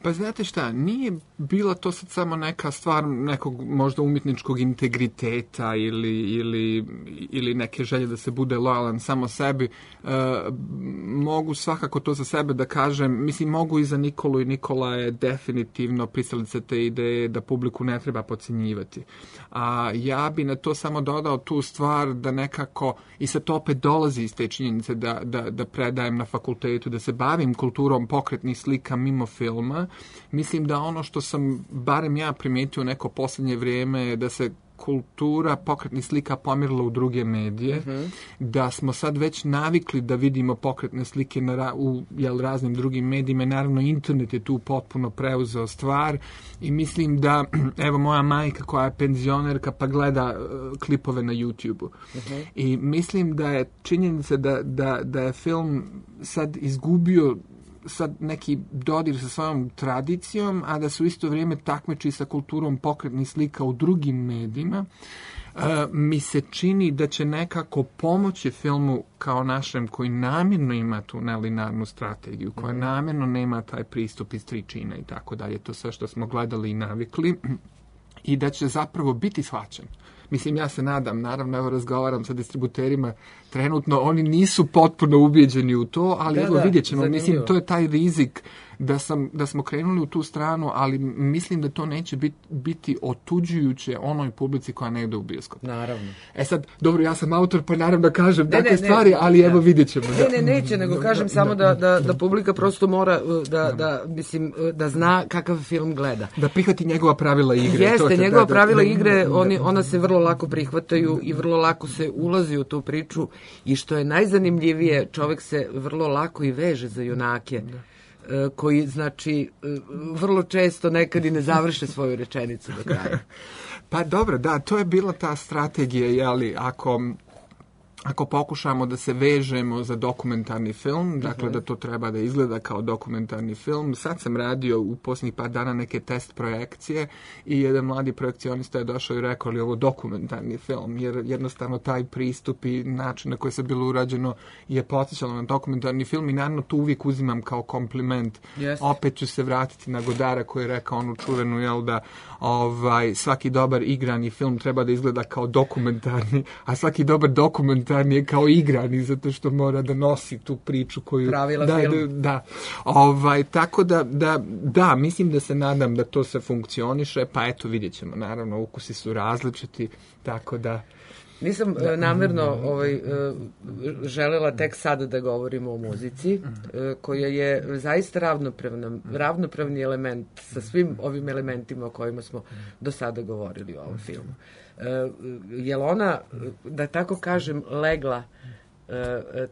Pa znate šta, nije bila to sad samo neka stvar nekog možda umjetničkog integriteta ili, ili, ili neke želje da se bude lojalan samo sebi. E, mogu svakako to za sebe da kažem, mislim mogu i za Nikolu i Nikola je definitivno pristalica te ideje da publiku ne treba podcjenjivati. A ja bi na to samo dodao tu stvar da nekako, i sad to opet dolazi iz te činjenice da, da, da predajem na fakultetu, da se bavim kulturom pokretnih slika mimo filma. Mislim da ono što sam, barem ja primijetio neko posljednje vrijeme, je da se kultura pokretnih slika pomirila u druge medije, uh-huh. da smo sad već navikli da vidimo pokretne slike na, u jel, raznim drugim medijima. Naravno, internet je tu potpuno preuzeo stvar i mislim da, evo moja majka koja je penzionerka pa gleda uh, klipove na YouTube-u. Uh-huh. I mislim da je činjenica da, da, da je film sad izgubio sad neki dodir sa svojom tradicijom, a da se u isto vrijeme takmiči sa kulturom pokretnih slika u drugim medijima. Uh, mi se čini da će nekako pomoći filmu kao našem koji namjerno ima tu nelinarnu strategiju, koja mm. namjerno nema taj pristup iz tri čina i tako dalje, to sve što smo gledali i navikli, i da će zapravo biti shvaćen. Mislim, ja se nadam, naravno, evo razgovaram sa distributerima, trenutno oni nisu potpuno ubijeđeni u to, ali da, evo da, vidjet ćemo, zanimljivo. Mislim, to je taj rizik da, sam, da smo krenuli u tu stranu, ali mislim da to neće bit, biti otuđujuće onoj publici koja ne ide u bioskop. Naravno. E sad, dobro, ja sam autor, pa naravno kažem ne, takve ne, stvari, ne, ali ne, evo vidjet ćemo. Ne, ne, neće, nego kažem samo da, da, da publika prosto mora da, da, mislim, da zna kakav film gleda. Da prihvati njegova pravila igre. Jeste, to će, njegova da, pravila da, igre, da, oni, ona se vrlo lako prihvataju i vrlo lako se ulazi u tu priču i što je najzanimljivije, čovek se vrlo lako i veže za junake. Da. Koji, znači, vrlo često nekad i ne završe svoju rečenicu do kraja. Pa dobro, da, to je bila ta strategija, jeli, ako... Ako pokušamo da se vežemo za dokumentarni film, dakle uh-huh. da to treba da izgleda kao dokumentarni film. Sad sam radio u posljednjih par dana neke test projekcije i jedan mladi projekcionista je došao i rekao li ovo dokumentarni film, jer jednostavno taj pristup i način na koji se bilo urađeno je podsjećalo na dokumentarni film i naravno to uvijek uzimam kao kompliment. Yes. Opet ću se vratiti na Godara koji je rekao onu čuvenu, jel da ovaj, svaki dobar igrani film treba da izgleda kao dokumentarni, a svaki dobar dokumentarni je kao igrani, zato što mora da nosi tu priču koju... Pravila da, film. Da, da. Ovaj, tako da, da, da, mislim da se nadam da to se funkcioniše, pa eto, vidjet ćemo. Naravno, ukusi su različiti, tako da... Nisam da. namjerno ovaj, želela tek sada da govorimo o muzici, koja je zaista ravnopravna, ravnopravni element sa svim ovim elementima o kojima smo do sada govorili u ovom filmu. Je li ona, da tako kažem, legla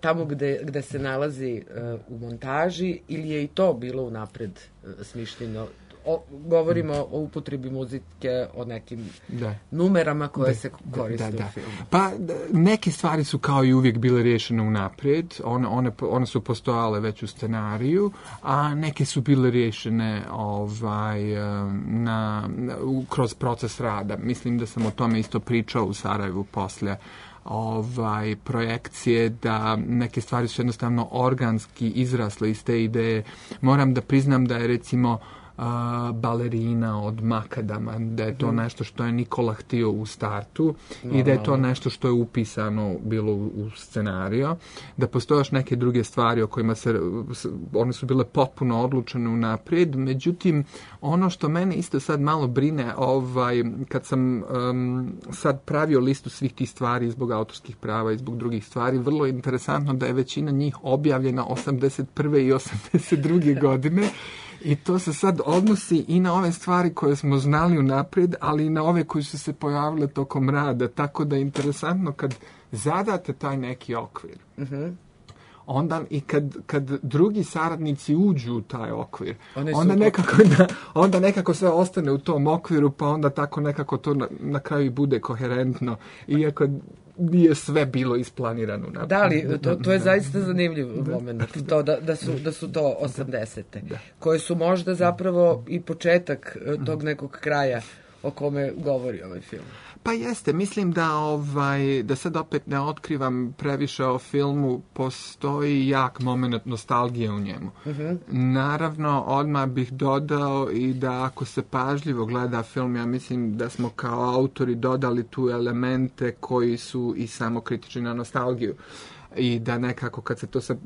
tamo gde, gde se nalazi u montaži ili je i to bilo unapred smišljeno? O, govorimo o upotrebi muzike, o nekim da. numerama koje da, se koriste da, da. u filmu. Pa neke stvari su kao i uvijek bile rješene unaprijed, one, one, one su postojale već u scenariju, a neke su bile rješene ovaj, na, na, kroz proces rada. Mislim da sam o tome isto pričao u Sarajevu poslije ovaj, projekcije, da neke stvari su jednostavno organski izrasle iz te ideje. Moram da priznam da je recimo Uh, balerina od Makadama, da je to mm. nešto što je Nikola htio u startu no, i da je to nešto što je upisano bilo u, u scenariju, da postoje još neke druge stvari o kojima se, one su bile potpuno odlučene unaprijed, međutim ono što mene isto sad malo brine, ovaj, kad sam um, sad pravio listu svih tih stvari zbog autorskih prava i zbog drugih stvari, vrlo je interesantno da je većina njih objavljena osamdeset prve i osamdeset druge godine. I to se sad odnosi i na ove stvari koje smo znali unaprijed, ali i na ove koje su se pojavile tokom rada. Tako da je interesantno kad zadate taj neki okvir. Uh-huh. Onda i kad, kad drugi saradnici uđu u taj okvir, onda nekako, da, onda nekako sve ostane u tom okviru, pa onda tako nekako to na, na kraju bude koherentno. Iako nije sve bilo isplanirano. Naprijed. Da, ali to, to je zaista zanimljiv moment, to da, da, su, da su to osamdesete, da. Koje su možda zapravo i početak tog nekog kraja o kome govori ovaj film. Pa jeste, mislim da ovaj da sad opet ne otkrivam previše o filmu, postoji jak moment nostalgije u njemu. Uh-huh. Naravno, odmah bih dodao i da ako se pažljivo gleda film, ja mislim da smo kao autori dodali tu elemente koji su i samokritični na nostalgiju. I da nekako kad se to sa,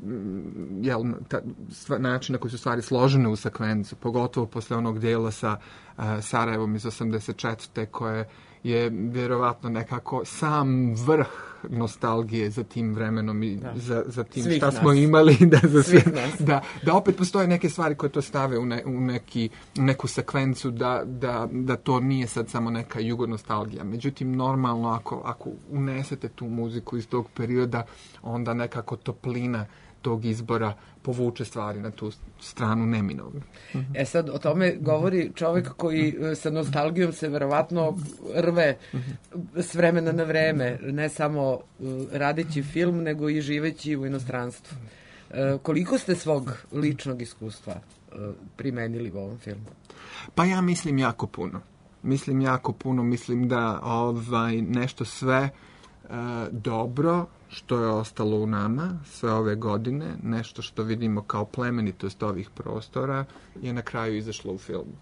jel, ta, stva, način na koji su stvari složene u sekvencu, pogotovo posle onog dijela sa uh, Sarajevom iz osamdeset četvrte koje je vjerovatno nekako sam vrh nostalgije za tim vremenom i da. za, za tim svih šta nas. Smo imali. Da, za sve, da, da opet postoje neke stvari koje to stave u, ne, u neki, neku sekvencu, da, da, da to nije sad samo neka jugonostalgija. Međutim, normalno ako, ako unesete tu muziku iz tog perioda, onda nekako toplina tog izbora povuče stvari na tu stranu neminovno. E sad, o tome govori čovjek koji sa nostalgijom se verovatno rve s vremena na vreme, ne samo radeći film, nego i živeći u inostranstvu. Koliko ste svog ličnog iskustva primenili u ovom filmu? Pa ja mislim jako puno. mislim jako puno, mislim da ovaj, nešto sve uh, dobro što je ostalo u nama sve ove godine, nešto što vidimo kao plemenitost ovih prostora, je na kraju izašlo u filmu.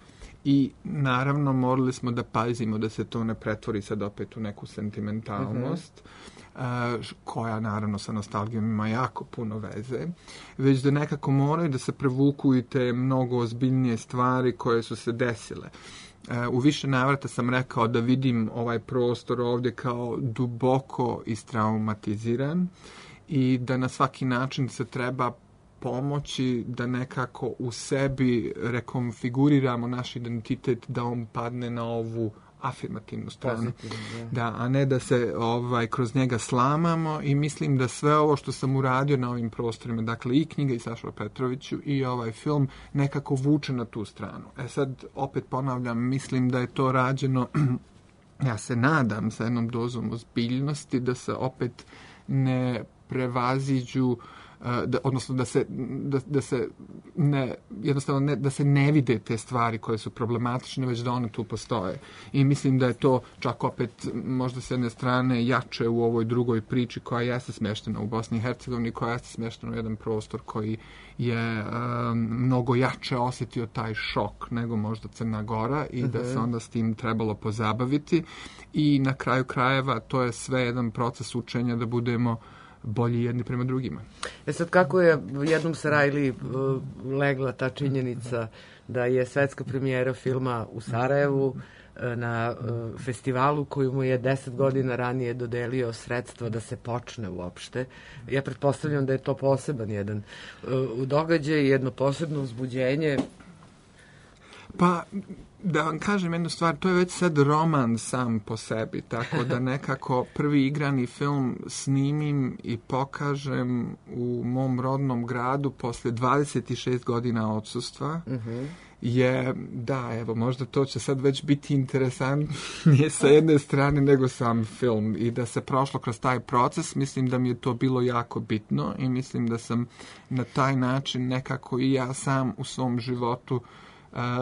I naravno morali smo da pazimo da se to ne pretvori sad opet u neku sentimentalnost, mm-hmm. uh, koja naravno sa nostalgijom ima jako puno veze, već da nekako moraju da se prevuku i te mnogo ozbiljnije stvari koje su se desile. Uh, u više navrata sam rekao da vidim ovaj prostor ovdje kao duboko istraumatiziran i da na svaki način se treba pomoći da nekako u sebi rekonfiguriramo naš identitet, da on padne na ovu afirmativnu stranu. Da, a ne da se ovaj kroz njega slamamo, i mislim da sve ovo što sam uradio na ovim prostorima, dakle i knjiga i Saša Petroviću i ovaj film, nekako vuče na tu stranu. E sad, opet ponavljam, mislim da je to rađeno, ja se nadam, sa jednom dozom ozbiljnosti, da se opet ne prevaziđu, da, odnosno da se, da, da se ne, jednostavno ne, da se ne vide te stvari koje su problematične, već da one tu postoje. I mislim da je to čak opet možda s jedne strane jače u ovoj drugoj priči koja jeste smještena u Bosni i Hercegovini, koja jeste smještena u jedan prostor koji je um, mnogo jače osjetio taj šok nego možda Crna Gora, i uh-huh. da se onda s tim trebalo pozabaviti. I na kraju krajeva to je sve jedan proces učenja da budemo bolji jedni prema drugima. E sad, kako je jednom Sarajli uh, legla ta činjenica da je svetska premijera filma u Sarajevu uh, na uh, festivalu koju mu je deset godina ranije dodelio sredstva da se počne uopšte. Ja pretpostavljam da je to poseban jedan uh, događaj, jedno posebno uzbuđenje. Pa, da vam kažem jednu stvar, to je već sad roman sam po sebi, tako da nekako prvi igrani film snimim i pokažem u mom rodnom gradu posle dvadeset šest godina odsustva. Uh-huh. Je, da, evo, možda to će sad već biti interesantnije sa jedne strane nego sam film, i da se prošlo kroz taj proces, mislim da mi je to bilo jako bitno, i mislim da sam na taj način nekako i ja sam u svom životu,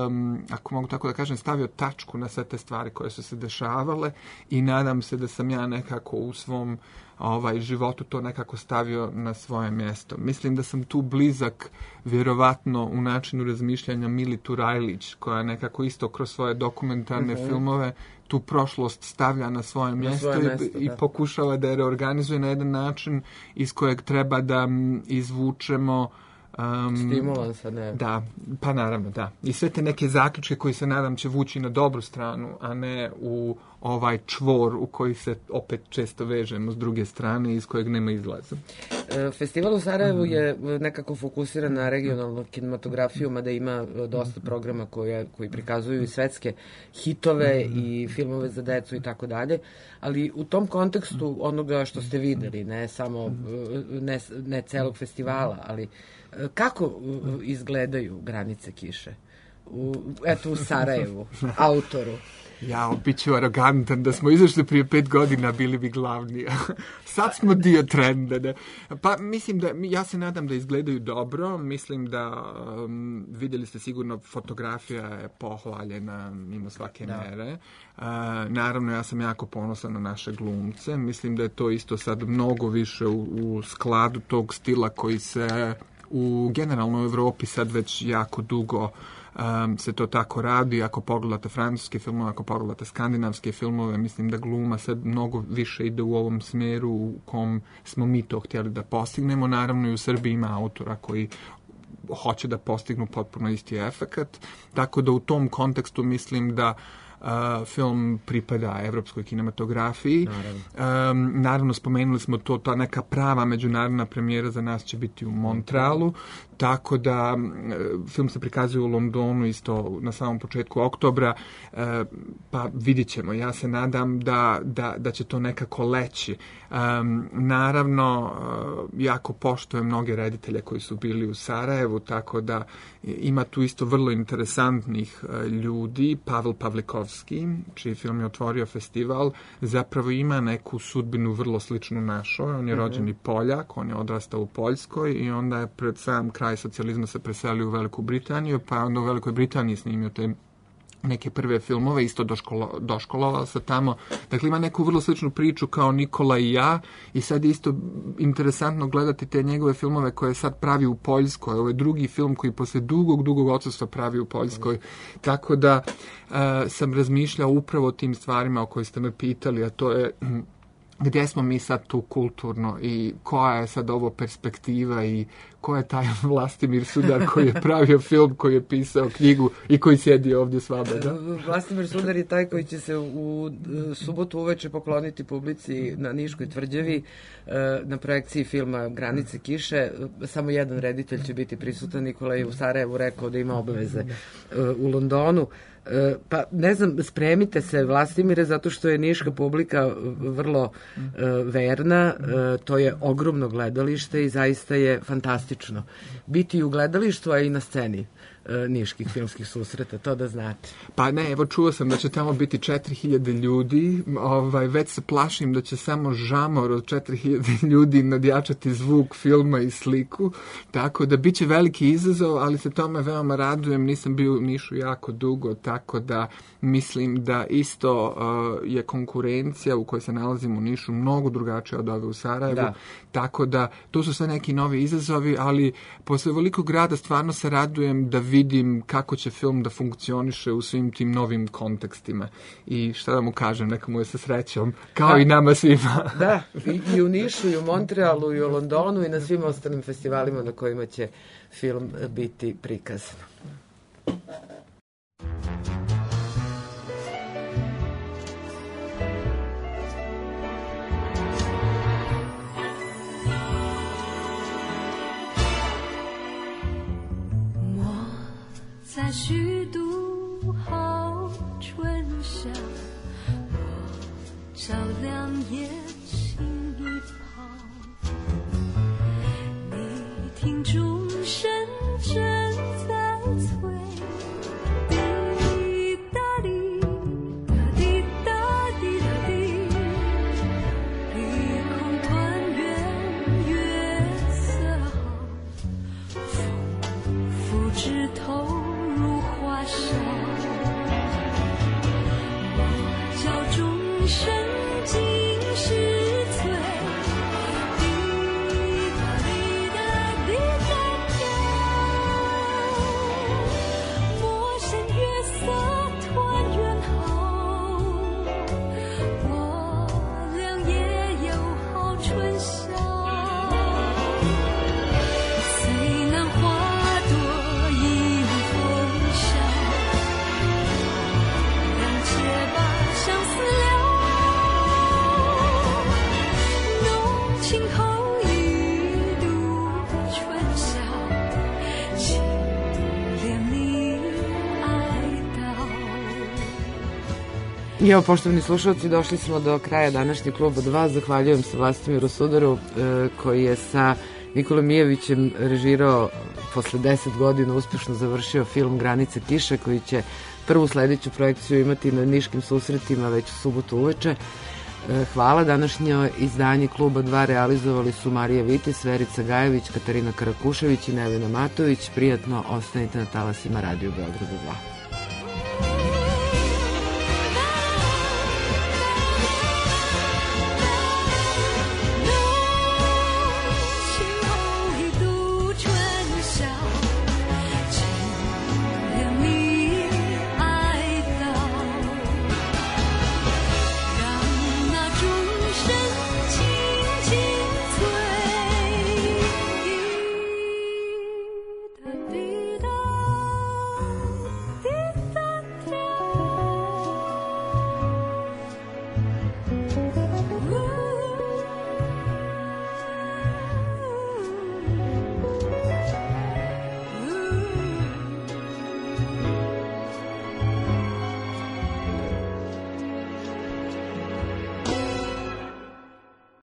Um, ako mogu tako da kažem, stavio tačku na sve te stvari koje su se dešavale, i nadam se da sam ja nekako u svom ovaj, životu to nekako stavio na svoje mjesto. Mislim da sam tu blizak vjerovatno u načinu razmišljanja Mili Turajlić, koja nekako isto kroz svoje dokumentarne uh-huh. filmove tu prošlost stavlja na svoje mjesto, na svoje mjesto i, i pokušava da je reorganizuje na jedan način iz kojeg treba da m, izvučemo Um, stimulansa, ne. Da, pa naravno, da. I sve te neke zaključke koji se nadam će vući na dobru stranu, a ne u ovaj čvor u koji se opet često vežemo s druge strane, iz kojeg nema izlaza. Festival u Sarajevu je nekako fokusiran na regionalnu kinematografiju, mada ima dosta programa koje, koji prikazuju i svetske hitove i filmove za decu i tako dalje, ali u tom kontekstu onoga što ste videli, ne samo, ne, ne celog festivala, ali kako izgledaju Granice kiše? U, eto, u Sarajevu, autoru. Ja, bit ću arogantan, da smo izašli prije pet godina, bili bi glavni. Sad smo dio trenda. Ne? Pa mislim da, ja se nadam da izgledaju dobro, mislim da um, vidjeli ste sigurno, fotografija je pohvaljena mimo svake da. mere. Uh, naravno, ja sam jako ponosan na naše glumce, mislim da je to isto sad mnogo više u, u skladu tog stila koji se u generalno u Evropi sad već jako dugo Um, se to tako radi. Ako pogledate francuske filmove, ako pogledate skandinavske filmove, mislim da gluma sad mnogo više ide u ovom smjeru u kom smo mi to htjeli da postignemo. Naravno i u Srbiji ima autora koji hoće da postignu potpuno isti efekat, tako da u tom kontekstu mislim da Uh, film pripada evropskoj kinematografiji. Naravno. Um, naravno, spomenuli smo to, ta neka prava međunarodna premijera za nas će biti u Montrealu, tako da uh, film se prikazuje u Londonu isto na samom početku oktobra, uh, pa vidjet ćemo. Ja se nadam da, da, da će to nekako leći. Um, naravno, uh, jako poštujem mnoge reditelje koji su bili u Sarajevu, tako da ima tu isto vrlo interesantnih uh, ljudi. Pavel Pavlikovski, čiji film je otvorio festival, zapravo ima neku sudbinu vrlo sličnu našoj. On je mm-hmm. rođeni Poljak, on je odrastao u Poljskoj i onda je pred sam kraj socijalizma se preselio u Veliku Britaniju, pa onda u Velikoj Britaniji snimio te neke prve filmove, isto doškolo, doškolovao se tamo. Dakle, ima neku vrlo sličnu priču kao Nikola i ja i sad je isto interesantno gledati te njegove filmove koje sad pravi u Poljskoj. Ovo je drugi film koji posle dugog, dugog odsustva pravi u Poljskoj. Tako da uh, sam razmišljao upravo o tim stvarima o kojoj ste me pitali, a to je gdje smo mi sad tu kulturno i koja je sad ovo perspektiva i ko je taj Vlastimir Sudar koji je pravio film, koji je pisao knjigu i koji sjedi ovdje s vama, da? Vlastimir Sudar je taj koji će se u subotu uveče pokloniti publici na Niškoj tvrđavi na projekciji filma Granice kiše. Samo jedan reditelj će biti prisutan. Nikola je u Sarajevu rekao da ima obaveze u Londonu. Pa ne znam, spremite se Vlastimire, zato što je niška publika vrlo uh, verna, uh, to je ogromno gledalište i zaista je fantastično biti u gledalištu, a i na sceni uh, niških filmskih susreta, to da znate. Pa ne, evo čuo sam da će tamo biti četiri hiljade ljudi, ovaj, već se plašim da će samo žamor od četiri hiljade ljudi nadjačati zvuk filma i sliku, tako da bit će veliki izazov, ali se tome veoma radujem, nisam bio u Nišu jako dugo, tako da mislim da isto uh, je konkurencija u kojoj se nalazimo u Nišu mnogo drugačija od ove u Sarajevu, da. Tako da tu su sve neki novi izazovi, ali posle velikog grada stvarno se radujem da vidim kako će film da funkcioniše u svim tim novim kontekstima i šta da mu kažem, neka mu je sa srećom, kao da. I nama svima. Da, i, i u Nišu, i u Montrealu, i u Londonu i na svim ostalim festivalima na kojima će film biti prikazan.我在虚度好春夏，我照亮夜心一旁，你听钟声正在催，滴答滴答滴答滴答滴，碧空团圆月色好，风拂枝头如华沙，我教钟声尽是催，滴答滴答滴答滴，陌生月色团圆好，我俩也有好春夏。虽然花朵已风萧，谅且把相思了，浓情厚一度春宵，请怜你哀悼。I evo, poštovani slušalci, došli smo do kraja današnjeg Kluba dva. Zahvaljujem se Vlastimiru Sudaru e, koji je sa Nikolom Mijevićem režirao, posle deset godina uspješno završio film Granice kiše, koji će prvu sledeću projekciju imati na niškim susretima već u subotu uveče. E, hvala. Današnje izdanje Kluba dva realizovali su Marija Vitis, Verica Gajević, Katarina Karakušević i Nevena Matović. Prijatno ostanite na talasima Radio Beograda dva.